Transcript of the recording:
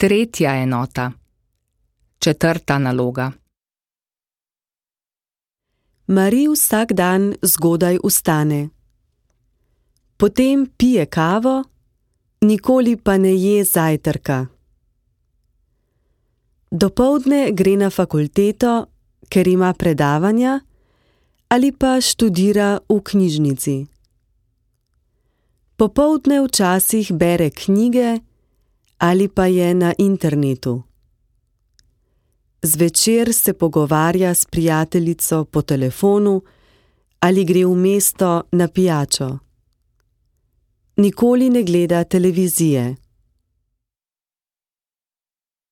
Tretja enota. Četrta naloga. Marie vsak dan zgodaj vstane. Potem pije kavo, nikoli pa ne je zajtrka. Dopoldne gre na fakulteto, ker ima predavanja, ali pa študira v knjižnici. Popoldne včasih bere knjige ali pa je na internetu. Zvečer se pogovarja s prijateljico po telefonu ali gre v mesto na pijačo. Nikoli ne gleda televizije.